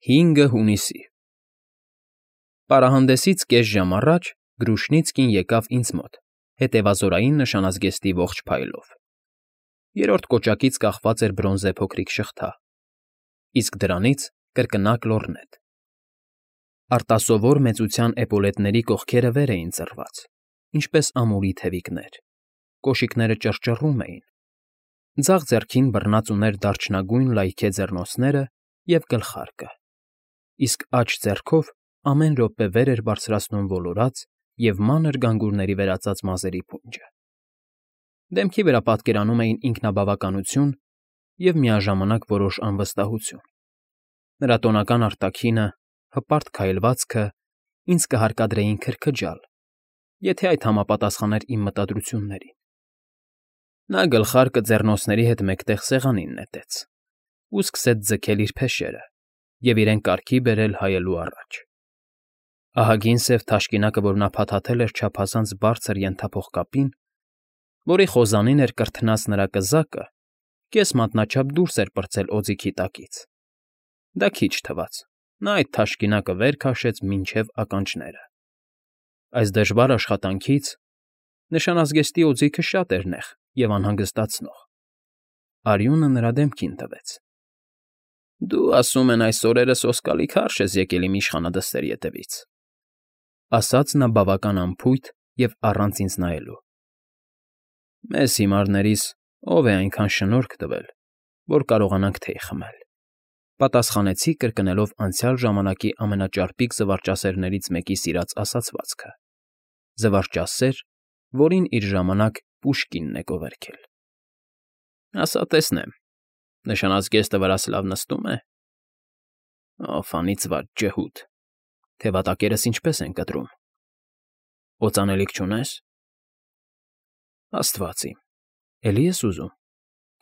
5 հունիսի Պարահանդեսից կես ժամ առաջ Գրուշնիցկին եկավ ինձ մոտ, հետևազորային նշանազգեստի ողջ փայլով. երրորդ կոճակից կախված էր բրոնզե փոքրիկ շղթա, իսկ դրանից կրկնակ լոռնետ. արտասովոր մեծության էպոլետների կողքերը վեր էին ծռված, ինչպես ամուրի թևիկներ, կոշիկները ճռճռում էին, ձախ ձեռքին բռնած ուներ դարչնագույն լայքե ձեռնոցները և գլխարկը, իսկ աջ ձեռքով ամեն րոպե վեր էր բարձրացնում ոլորած և մանր գանգուրների վերածած մազերի փունջը. դեմքի վրա պատկերանում էին ինքնաբավականություն և միաժամանակ որոշ անվստահություն. նրա տոնական արտաքինը, հպարտ քայլվածքը ինձ կհարկադրեին քրքջալ, եթե այդ համապատասխաներ իմ մտադրություններին. նա գլխարկը ձեռնոցների հետ մեկտեղ սեղանին նետեց ու սկսեց ձգել իր փեշերը և իրեն կարգի բերել հայելու առաջ. ահագին սև թաշկինակը, որ նա փաթաթել էր չափազանց բարձր ենթափող կապին, որի խոզանին էր կրթնած նրա կզակը, կես մատնաչափ դուրս էր պրծել օձիքի տակից. դա քիչ թվաց, նա այդ թաշկինակը վեր քաշեց մինչև ականջները. այս դժվար աշխատանքից նշանազգեստի օձիքը շատ էր նեղ և անհանգստացնող. արյունը նրա դեմքին տվեց. Դու, ասում են, այս օրերս սոսկալի քարշ ես եկել իմ իշխանադստերի ետևից, ասաց նա բավական անփույթ և առանց ինձ նայելու. մեզ հիմարներիս ով է այնքան շնորհք տվել, որ կարողանանք թեյ խմել, պատասխանեցի կրկնելով անցյալ ժամանակի ամենաճարպիկ զվարճասերներից մեկի սիրած ասացվածքը, զվարճասեր, որին իր ժամանակ Պուշկինն է գովերգել. ասա տեսնեմ, նշանազգեստը վրաս լավ նստում է. Ով անիծված ջհուդ, թևատակերս ինչպես են կտրում, օծանելիք չունես, աստված իմ, էլի ես ուզում,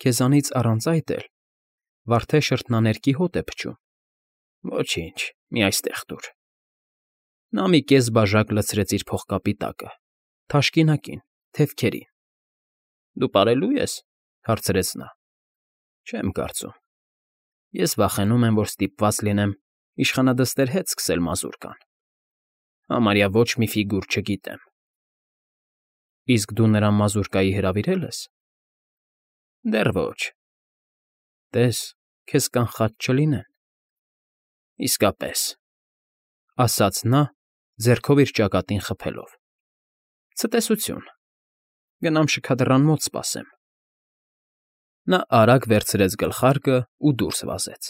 քեզանից առանց այդ էլ, վարդե շրթնաներկի հոտ է փչում, ոչինչ, մի այստեղ տուր. նա մի կես բաժակ լցրեց իր փողկապի տակը, թաշկինակին, թևքերին. դու պարելո՞ւ ես, հարցրեց նա. չեմ կարծում, ես վախենում եմ, որ ստիպված լինեմ իշխանադստեր հետ սկսել մազուրկան, համարյա ոչ մի ֆիգուր չգիտեմ. իսկ դու նրան մազուրկայի հրավիրել ես. դեռ ոչ, տես, քեզ կանխած չլինեն, իսկապես, ասաց նա, ձեռքով իր ճակատին խփելով. ցտեսություն, գնամ շքադռան մոտ սպասեմ. նա արագ վերցրեց գլխարկը ու դուրս վազեց.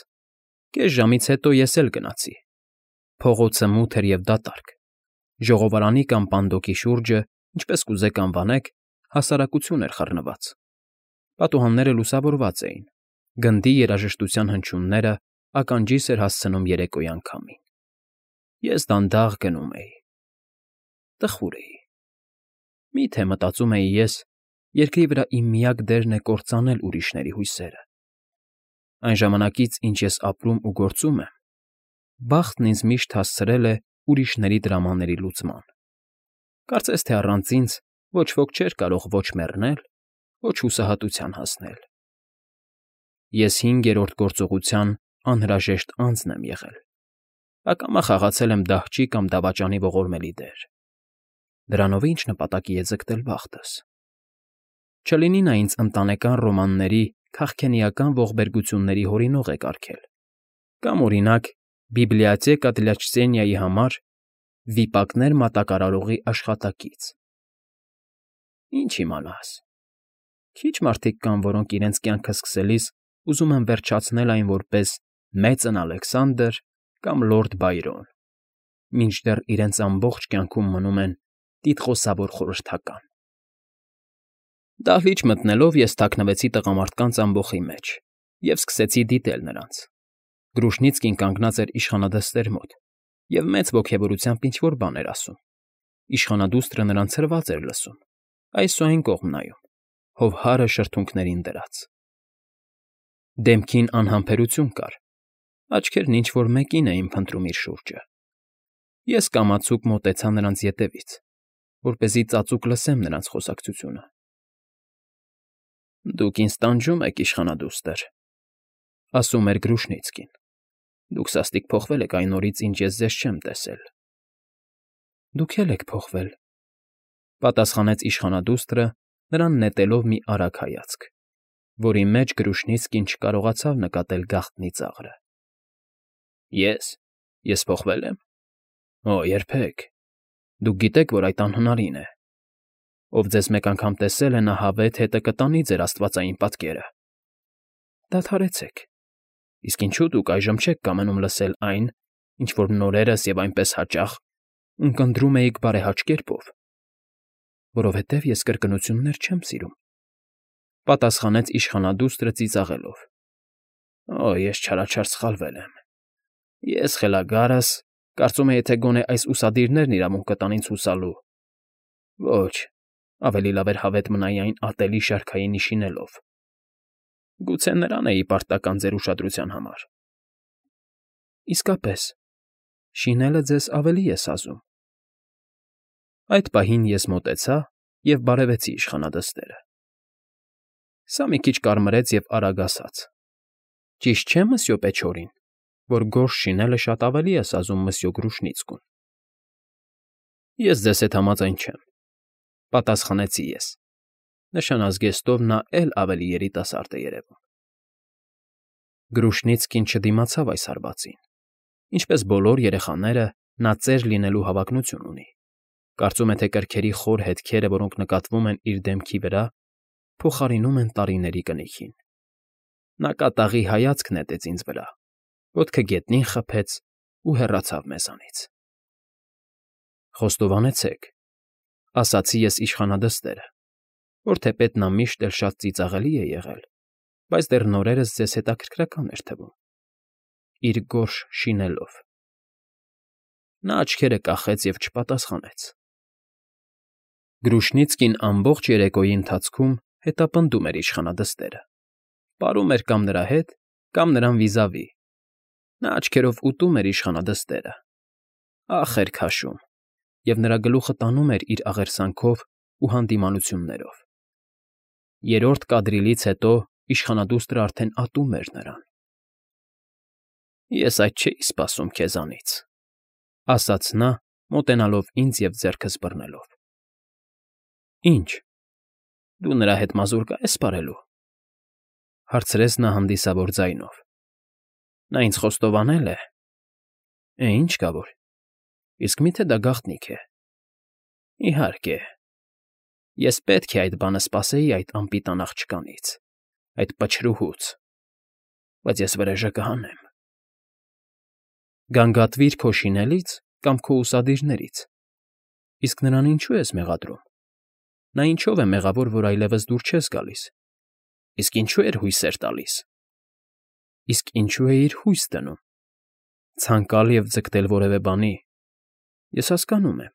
կես ժամից հետո ես էլ գնացի. փողոցը մութ էր և դատարկ, ժողովարանի կամ պանդոկի շուրջը, ինչպես կուզեք անվանեք, հասարակություն էր խռնված, պատուհանները լուսավորված էին, գնդի երաժշտության հնչյունները ականջիս էր հասցնում երեկոյան քամին. ես դանդաղ գնում էի. տխուր էի. մի՞թե մտածում էի ես, երկրի վրա իմ միակ դերն է կործանել ուրիշների հույսերը. այն ժամանակից, ինչ ես ապրում ու գործում եմ, բախտն ինձ միշտ հասցրել է ուրիշների դրամաների լուծման. կարծես թե առանց ինձ ոչ ոք չէր կարող ոչ մեռնել, ոչ հուսահատության հասնել. ես 5-րդ գործողության անհրաժեշտ անձն եմ եղել, ակամա խաղացել եմ դահճի կամ դավաճանի ողորմելի դեր. դրանով ինչ նպատակի է ձգտել բախտս. չլինի նա ինձ ընտանեկան ռոմանների քաղքենիական ողբերգությունների հորինող է կարգել, կամ, օրինակ, Բիբլիոթեկա դլյա Չտենիայի համար վիպակներ մատակարարողի աշխատակից. ինչ իմանաս, քիչ մարդիկ կան, որոնք իրենց կյանքը սկսելիս ուզում են վերջացնել այն որպես Մեծն Ալեքսանդր կամ Լորդ Բայրոն, մինչդեռ իրենց ամբողջ կյանքում մնում են տիտղոսավոր խորհրդական. դահլիճ մտնելով ես թաքնվեցի տղամարդկանց ամբոխի մեջ և սկսեցի դիտել նրանց. Գրուշնիցկին կանգնած էր իշխանադստեր մոտ և մեծ ոգևորությամբ ինչ֊որ բան էր ասում. իշխանադուստրը նրան ցրված էր լսում, այս ու այն կողմ նայում, հովհարը շրթունքներին դրած. դեմքին անհամբերություն կար, աչքերն ինչ֊որ մեկին էին փնտրում իր շուրջը. ես կամացուկ մոտեցա նրանց ետևից, որպեսզի ծածուկ լսեմ նրանց խոսակցությունը. Դուք ինձ տանջում եք, իշխանադուստր, ասում էր Գրուշնիցկին, Դուք սաստիկ փոխվել եք այն օրից, ինչ ես ձեզ չեմ տեսել։ Դուք էլ եք փոխվել, պատասխանեց իշխանադուստրը, նրան նետելով մի արագ հայացք, որի մեջ Գրուշնիցկին չկարողացավ նկատել գաղտնի ծաղրը։ Ես փոխվել եմ։ Օ, երբեք։ Դուք գիտեք, որ այդ անհնարին է։ Ով ձեզ մեկ անգամ տեսել է, նա հավեթ հետը կտանի ձեր աստվածային պատկերը։ Դադարեցեք։ Իսկ ինչու դուք այժմ չեք կամենում լսել այն, ինչ որ նորերս և այնպես հաճախ ունկնդրում էիք բարեհաճ կերպով։ Որովհետև ես կրկնություններ չեմ սիրում, պատասխանեց իշխանադուստրը ծիծաղելով։ Օ, ես չարաչար սխալվել եմ։ Ես խելագարս, կարծում էի, թե գոնե այս ուսադիրներն իրավունք կտան ինձ հուսալու։ Ոչ, ավելի լավ էր հավետ մնայի այն ատելի շարքային շինելով։ Գուցե նրան էի պարտական ձեր ուշադրության համար։ Իսկապես, շինելը ձեզ ավելի է սազում։ Այդ պահին ես մոտեցա և բարևեցի իշխանադստերը։ Սա մի քիչ կարմրեց և արագ ասաց. Ճիշտ չէ, մսյո Պեչորին, որ գորշ շինելը շատ ավելի է սազում մսյո Գրուշնիցկուն։ Ես ձեզ հետ համաձայն չեմ, պատասխանեցի ես. նշանազգեստով նա էլ ավելի երիտասարդ է երևում։ Գրուշնիցկին չդիմացավ այս հարվածին։ Ինչպես բոլոր երեխաները, նա ծեր լինելու հավակնություն ունի։ Կարծում է, թե կրքերի խոր հետքերը, որոնք նկատվում են իր դեմքի վրա, փոխարինում են տարիների կնիքին։ Նա կատաղի հայացք նետեց ինձ վրա, ոտքը գետնին խփեց ու հեռացավ մեզանից։ Խոստովանեցեք, ասացի ես իշխանադստերը, որ թեպետ նա միշտ էլ շատ ծիծաղելի է եղել, բայց դեռ նորերս ձեզ հետաքրքրական էր թվում։ Իր գորշ շինելով։ Նա աչքերը կախեց և չպատասխանեց։ Գրուշնիցկին ամբողջ երեկոյի ընթացքում հետապնդում էր իշխանադստերը, պարում էր կամ նրա հետ, կամ նրան վիզավի։ Նա աչքերով ուտում էր իշխանադստերը, ախ էր քաշում, և նրա գլուխը տանում էր իր աղերսանքով ու հանդիմանություններով։ Երրորդ կադրիլից հետո իշխանադուստրը արդեն ատում էր նրան։ Ես այդ չէի սպասում քեզանից, ասաց նա, մոտենալով ինձ և ձեռքս բռնելով։ Ինչ, դու նրա հետ մազուր կա՞ես պարելու, հարցրեց նա հանդիսավոր ձայնով։ Նա ինձ խոստովանել է։ Ինչ կա որ, իսկ միթե դա գաղտնիք է։ Իհարկե, ես պետք է այդ բանը սպասեի այդ անպիտան աղջկանից, այդ պչրուհուց, բայց ես վրեժը կհանեմ։ Գանգատվիր քո շինելից կամ քո ուսադիրներից, իսկ նրան ինչու ես մեղադրում։ Նա ինչով է մեղավոր, որ այլևս դուր չես գալիս, իսկ ինչու էր հույսեր տալիս։ Իսկ ինչու է իր հույս դնում։ Ցանկալ և ձգտել որևէ բանի, ես հասկանում եմ,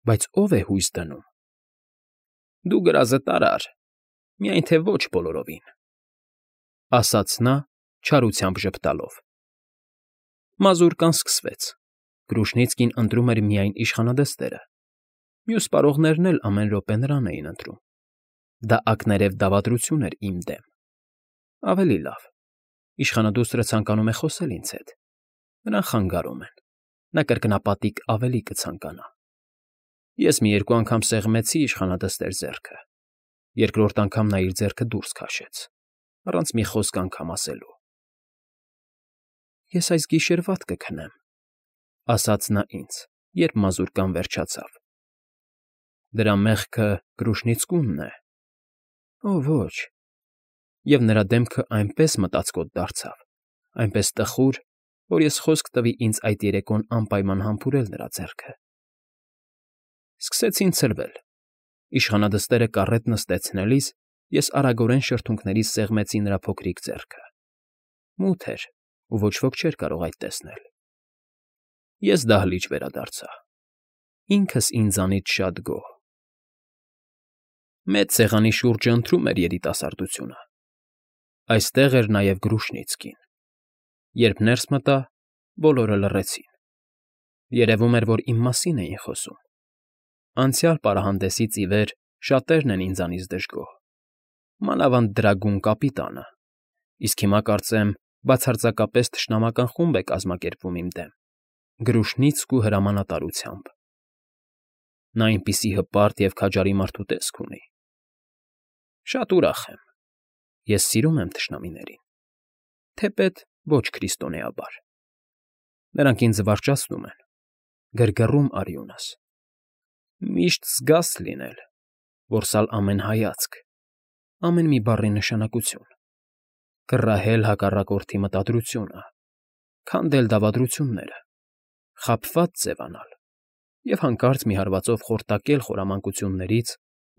բայց ո՞վ է հույս դնում։ Դու գրազը տարար, միայն թե ոչ բոլորովին, ասաց նա, չարությամբ ժպտալով։ Մազուրկան սկսվեց։ Գրուշնիցկին ընտրում էր միայն իշխանադստերը։ Մյուս պարողներն էլ ամեն րոպե նրան էին ընտրում։ Դա ակներև դավադրություն էր իմ դեմ։ Ավելի լավ, իշխանադուստրը ցանկանում է խոսել ինձ հետ։ Նրան խանգարում են։ Նա կրկնապատիկ ավելի կցանկանա։ Ես մի երկու անգամ սեղմեցի իշխանադստեր ձեռքը։ Երկրորդ անգամ նա իր ձեռքը դուրս քաշեց, առանց մի խոսք անգամ ասելու։ Ես այս գիշեր վատ կքնեմ, ասաց նա ինձ, երբ մազուրկան վերջացավ։ Դրա մեղքը Գրուշնիցկունն է։ Օ, ոչ։ Եվ նրա դեմքը այնպես մտածկոտ դարձավ, այնպես տխուր, որ ես խոսք տվի ինձ այդ երեկոն անպայման համբուրել նրա ձեռքը։ Սկսեցին ցրվել։ Իշխանադստերը կառետ նստեցնելիս ես արագորեն շրթունքներիս սեղմեցի նրա փոքրիկ ձեռքը։ Մութ էր, ու ոչ ոք չէր կարող այդ տեսնել։ Ես դահլիճ վերադարձա։ Ինքս ինձանից շատ գոհ։ Մեծ սեղանի շուրջը ընթրում էր երիտասարդությունը։ Այստեղ էր նաև Գրուշնիցկին։ Երբ ներս մտա, բոլորը լռեցին։ Երևում էր, որ իմ մասին էին խոսում։ Անցյալ պարահանդեսից ի վեր շատերն են ինձանից դժգոհ։ Մանավանդ դրագուն կապիտանը, իսկ հիմա կարծեմ Բացարձակապես թշնամական խումբ է կազմակերպվում իմ դեմ, գրուշնիցք ու հրամանատարությամբ։ Նա այնպիսի հպարտ և քաջարի մարդու տեսք ունի։ Շատ ուրախ եմ, ես սիրում եմ թշնամիներին, թեպետ ոչ քրիստոնեաբար։ Նրանք ինձ զվարճացնում են, գրգռում արյունս։ Միշտ զգաս լինել, որսալ ամեն հայացք, ամեն մի բառի նշանակություն, կռահել հակառակորդի մտադրությունը, քանդել դավադրությունները, խաբված ձևանալ և հանկարծ մի հարվածով խորտակել խորամանկություններից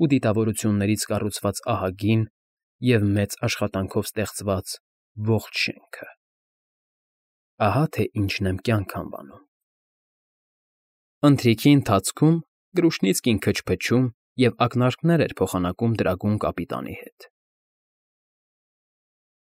ու դիտավորություններից կառուցված ահագին և մեծ աշխատանքով ստեղծված ողջ շենքը։ Ահա թե ինչն եմ կյանք անվանում։ Ընթրիքի ընթացքում Գրուշնիցկին քչփչում և ակնարկներ էր փոխանակում դրագուն կապիտանի հետ։